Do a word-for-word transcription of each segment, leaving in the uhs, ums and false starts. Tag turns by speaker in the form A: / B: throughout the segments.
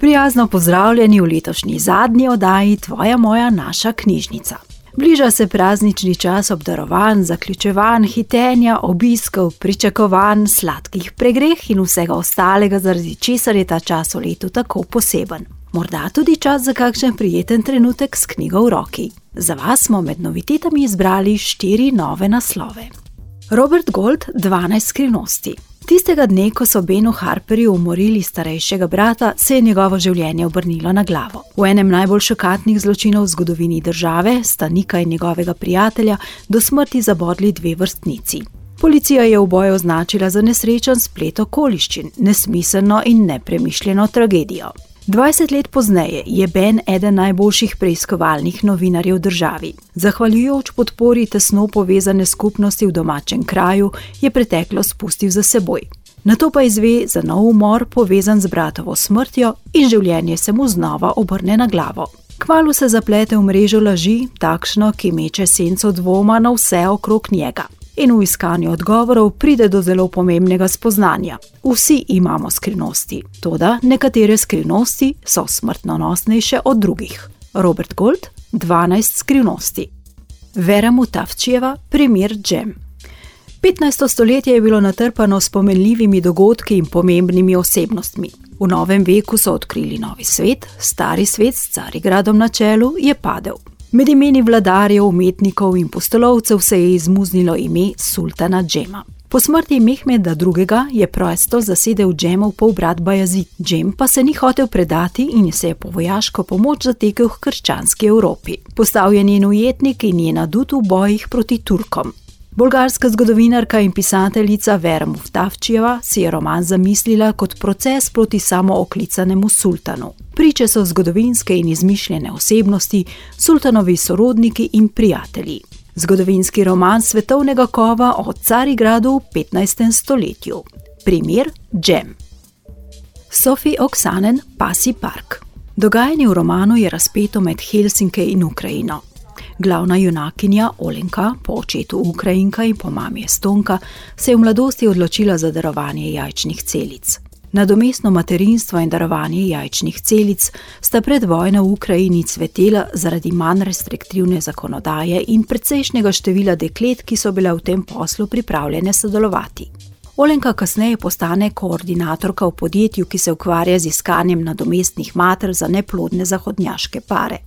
A: Prijazno pozdravljeni v letošnji zadnji oddaji Tvoja moja naša knjižnica. Bliža se praznični čas obdarovanj, zaključevanj, hitenja, obiskov, pričakovanj, sladkih pregreh in vsega ostalega, zaradi česar je ta čas v letu tako poseben. Morda tudi čas za kakšen prijeten trenutek s knjigo v roki. Za vas smo med novitetami izbrali štiri nove naslove. Robert Gold, dvanajst skrivnosti. Tistega dne, ko so Benu Harperju umorili starejšega brata, se je njegovo življenje obrnilo na glavo. V enem najbolj šokantnih zločinov v zgodovini države sta Nika in njegovega prijatelja do smrti zabodli dve vrstnici. Policija je uboj označila za nesrečen splet okoliščin, nesmiselno in nepremišljeno tragedijo. dvajset let pozneje je Ben eden najboljših preiskovalnih novinarjev v državi. Zahvaljujoč podpori tesno povezane skupnosti v domačem kraju, je preteklost spustil za seboj. Nato pa izve za nov umor povezan z bratovo smrtjo in življenje se mu znova obrne na glavo. Kmalu se zaplete v mrežo laži, takšno, ki meče senco dvoma na vse okrog njega. In v iskanju odgovorov pride do zelo pomembnega spoznanja. Vsi imamo skrivnosti, toda nekatere skrivnosti so smrtonosnejše od drugih. Robert Gold, dvanajst skrivnosti. Vera Mutafčijeva, primer Džem. petnajsto stoletje je bilo natrpano s pomenljivimi dogodki in pomembnimi osebnostmi. V novem veku so odkrili novi svet, stari svet s Carigradom na čelu je padel. Med imeni vladarjev, umetnikov in pustolovcev se je izmuznilo ime sultana Džema. Po smrti Mehmeda drugega. je prestol zasedel Džemov polbrat Bajazid. Džem pa se ni hotel predati in se je po vojaško pomoč zatekel k krščanski Evropi. Postal je njen ujetnik in njen adut v bojih proti Turkom. Bolgarska zgodovinarka in pisateljica Vera Mutafčijeva si je roman zamislila kot proces proti samooklicanemu sultanu. Priče so zgodovinske in izmišljene osebnosti, sultanovi sorodniki in prijatelji. Zgodovinski roman svetovnega kova o Carigradu v petnajstem stoletju. Primer Džem. Sophie Oksanen, Pasji park. Dogajanje v romanu je razpeto med Helsinke in Ukrajino. Glavna junakinja Olenka, po očetu Ukrajinka in po mami Estonka, se je v mladosti odločila za darovanje jajčnih celic. Nadomestno materinstvo in darovanje jajčnih celic sta pred vojno v Ukrajini cvetela zaradi manj restriktivne zakonodaje in precejšnjega števila deklet, ki so bile v tem poslu pripravljene sodelovati. Olenka kasneje postane koordinatorka v podjetju, ki se ukvarja z iskanjem nadomestnih mater za neplodne zahodnjaške pare.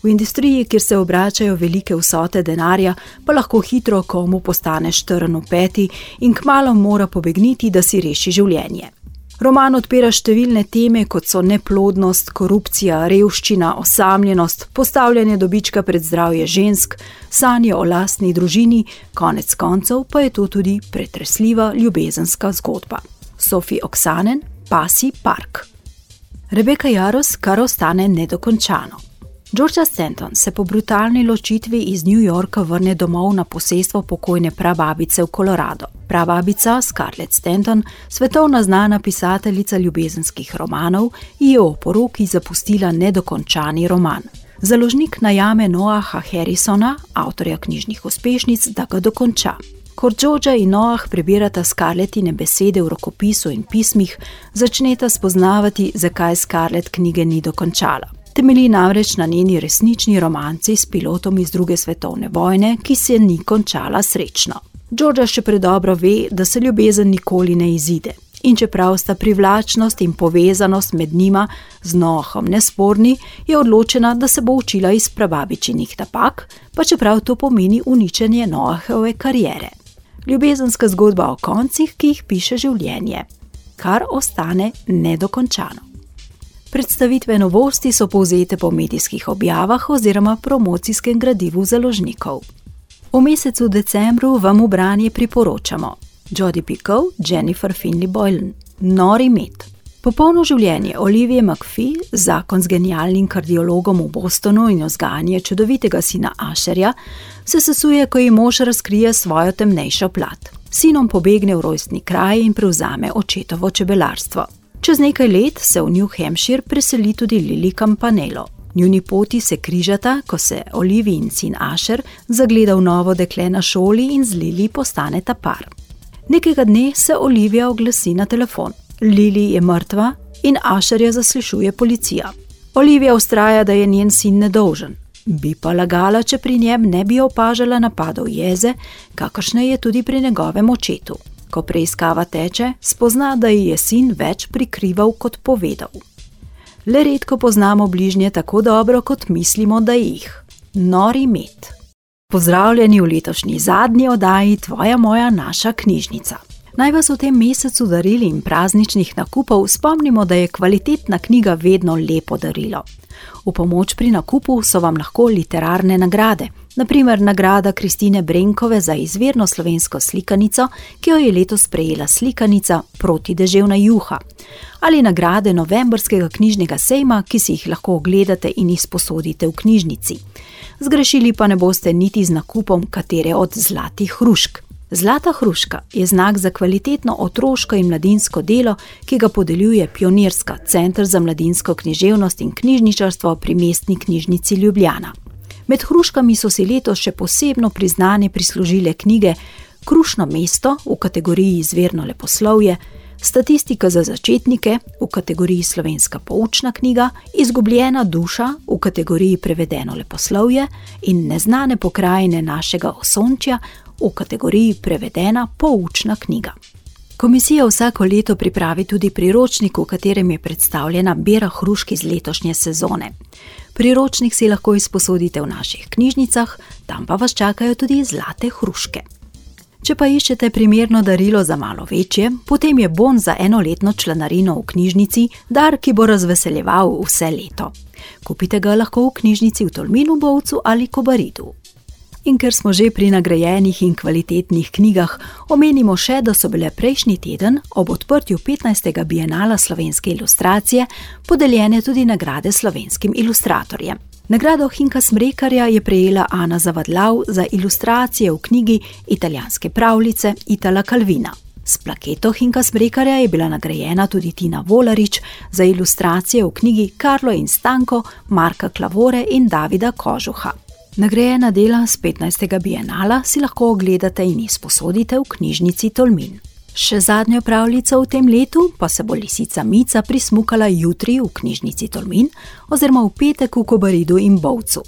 A: V industriji, kjer se obračajo velike vsote denarja, pa lahko hitro komu postane štrn v peti in kmalu mora pobegniti, da si reši življenje. Roman odpira številne teme, kot so neplodnost, korupcija, revščina, osamljenost, postavljanje dobička pred zdravje žensk, sanje o lastni družini, konec koncev pa je to tudi pretresljiva ljubezenska zgodba. Sophie Oksanen, Pasji park. Rebecca Yarros, Kar ostane nedokončano. Georgia Stanton se po brutalni ločitvi iz New Yorka vrne domov na posestvo pokojne prababice v Colorado. Prababica Scarlett Stanton, svetovna znana pisateljica ljubezenskih romanov, je o poroki zapustila nedokončani roman. Založnik najame Noaha Harrisona, avtorja knjižnih uspešnic, da ga dokonča. Ko Georgia in Noah prebirata Scarlettine besede v rokopisu in pismih, začneta spoznavati, zakaj Scarlett knjige ni dokončala. Temelji namreč na njeni resnični romanci s pilotom iz druge svetovne vojne, ki se ni končala srečno. Georgia še predobro ve, da se ljubezen nikoli ne izide. In čeprav sta privlačnost in povezanost med njima z Noahom nesporni, je odločena, da se bo učila iz prababičinih napak, pa čeprav to pomeni uničenje Noahove kariere. Ljubezenska zgodba o koncih, ki jih piše življenje. Kar ostane nedokončano. Predstavitve novosti so povzete po medijskih objavah oziroma promocijskem gradivu založnikov. V mesecu decembru vam v branje priporočamo Jodi Picoult, Jennifer Finley Boylan, Nori med. Popolno življenje Olivije McPhee, zakon z genialnim kardiologom v Bostonu in vzgajanje čudovitega sina Asherja, se sesuje, ko ji mož razkrije svojo temnejšo plat. Sinom pobegne v rojstni kraj in prevzame očetovo čebelarstvo. Čez nekaj let se v New Hampshire preseli tudi Lily Campanello. Njuni poti se križata, ko se Olivijin sin Asher zagleda v novo dekle na šoli in z Lily postaneta par. Nekega dne se Olivija oglasi na telefon. Lily je mrtva in Asherja zaslišuje policija. Olivija vztraja, da je njen sin nedolžen. Bi pa lagala, če pri njem ne bi opažala napadov jeze, kakršne je tudi pri njegovem očetu. Ko preiskava teče, spozna, da ji je sin več prikrival kot povedal. Le redko poznamo bližnje tako dobro, kot mislimo, da jih. Nori med. Pozdravljeni v letošnji zadnji oddaji Tvoja moja naša knjižnica. Naj vas v tem mesecu daril in prazničnih nakupov spomnimo, da je kvalitetna knjiga vedno lepo darilo. V pomoč pri nakupu so vam lahko literarne nagrade, na primer nagrada Kristine Brenkove za izvirno slovensko slikanico, ki jo je letos prejela slikanica Protideževna juha, ali nagrade novembrskega knjižnega sejma, ki si jih lahko ogledate in izposodite v knjižnici. Zgrešili pa ne boste niti z nakupom katere od zlatih hrušk. Zlata hruška je znak za kvalitetno otroško in mladinsko delo, ki ga podeljuje Pionirska, Center za mladinsko književnost in knjižničarstvo pri Mestni knjižnici Ljubljana. Med hruškami so si letos še posebno priznane prislužile knjige Krušno mesto v kategoriji izvirno leposlovje, Statistika za začetnike v kategoriji slovenska poučna knjiga, Izgubljena duša v kategoriji prevedeno leposlovje in Neznane pokrajine našega osončja v kategoriji prevedena poučna knjiga. Komisija vsako leto pripravi tudi priročnik, v katerem je predstavljena bera hrušk iz letošnje sezone. Priročnik si lahko izposodite v naših knjižnicah, tam pa vas čakajo tudi zlate hruške. Če pa iščete primerno darilo za malo večje, potem je bon za enoletno članarino v knjižnici dar, ki bo razveseljeval vse leto. Kupite ga lahko v knjižnici v Tolminu, Bovcu ali Kobaridu. In ker smo že pri nagrajenih in kvalitetnih knjigah, omenimo še, da so bile prejšnji teden ob odprtju petnajstega bienala slovenske ilustracije podeljene tudi nagrade slovenskim ilustratorjem. Nagrado Hinka Smrekarja je prejela Ana Zavadlav za ilustracije v knjigi Italijanske pravljice Itala Calvina. S plaketo Hinka Smrekarja je bila nagrajena tudi Tina Volarič za ilustracije v knjigi Karlo in Stanko Marka Klavore in Davida Kožuha. Nagrajena dela z petnajstega bienala si lahko ogledate in izposodite v knjižnici Tolmin. Še zadnjo pravljico v tem letu pa se bo lisica Mica prismukala jutri v knjižnici Tolmin oziroma v petek v Kobaridu in Bovcu.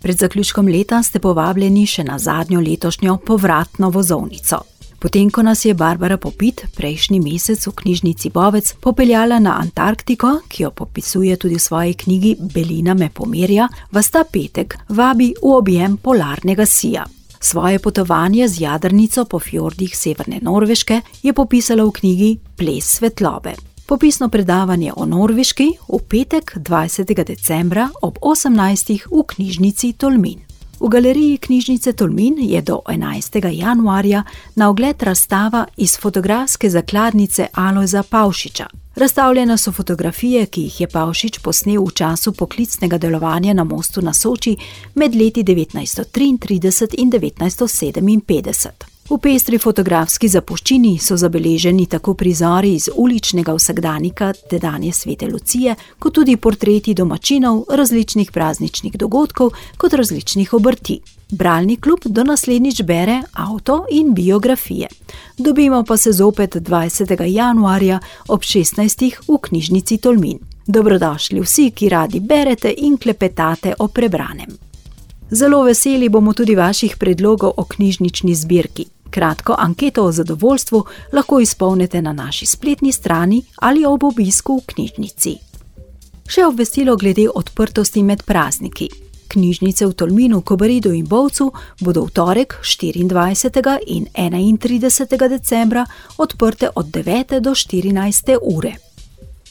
A: Pred zaključkom leta ste povabljeni še na zadnjo letošnjo povratno vozovnico. Potem, ko nas je Barbara Popit prejšnji mesec v knjižnici Bovec popeljala na Antarktiko, ki jo popisuje tudi v svoji knjigi Belina me pomerja, vas ta petek vabi v objem polarnega sija. Svoje potovanje z jadrnico po fjordih severne Norveške je popisala v knjigi Ples svetlobe. Popisno predavanje o Norveški v petek dvajsetega decembra ob osemnajstih v knjižnici Tolmin. V galeriji knjižnice Tolmin je do enajstega januarja na ogled razstava iz fotografske zakladnice Alojza Pavšiča. Razstavljene so fotografije, ki jih je Pavšič posnel v času poklicnega delovanja na Mostu na Soči med leti devetnajststo triintrideset in devetnajststo sedeminpetdeset. V pestri fotografski zapuščini so zabeleženi tako prizori iz uličnega vsakdanika tedanje Svete Lucije, kot tudi portreti domačinov, različnih prazničnih dogodkov kot različnih obrti. Bralni klub do naslednjič bere avto in biografije. Dobimo pa se zopet dvajsetega januarja ob šestnajstih v knjižnici Tolmin. Dobrodošli vsi, ki radi berete in klepetate o prebranem. Zelo veseli bomo tudi vaših predlogov o knjižnični zbirki. Kratko anketo o zadovoljstvu lahko izpolnite na naši spletni strani ali ob obisku v knjižnici. Še obvestilo glede odprtosti med prazniki. Knjižnice v Tolminu, Kobaridu in Bovcu bodo v torek štiriindvajsetega in enaintridesetega decembra odprte od devete do štirinajste ure.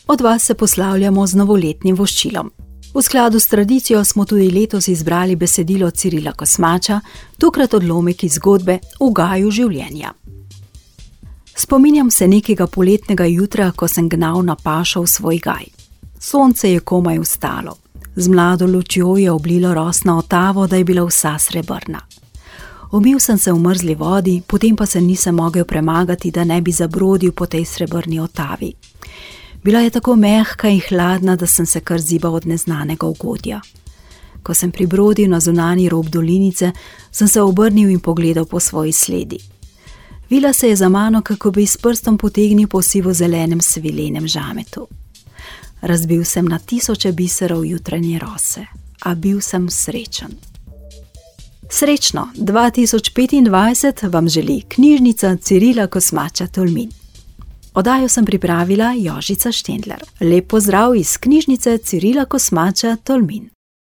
A: Od vas se poslavljamo z novoletnim voščilom. V skladu s tradicijo smo tudi letos izbrali besedilo Cirila Kosmača, tokrat odlomek iz zgodbe V gaju življenja. Spominjam se nekega poletnega jutra, ko sem gnal na pašo v svoj gaj. Sonce je komaj vstalo. Z mlado lučjo je oblilo rosno otavo, da je bila vsa srebrna. Umil sem se v mrzli vodi, potem pa se nisem mogel premagati, da ne bi zabrodil po tej srebrni otavi. Bila je tako mehka in hladna, da sem se kar zibal od neznanega ugodja. Ko sem pribrodil na zunanji rob dolinice, sem se obrnil in pogledal po svoji sledi. Vila se je za mano, kako bi s prstom potegnil po sivo-zelenem svilenem žametu. razbil sem na tisoče biserov jutranje rose, a bil sem srečen. Srečno dva tisoč petindvajset vam želi knjižnica Cirila Kosmača Tolmin. Oddajo sem pripravila Jožica Štendler. Lep pozdrav iz knjižnice Cirila Kosmača Tolmin.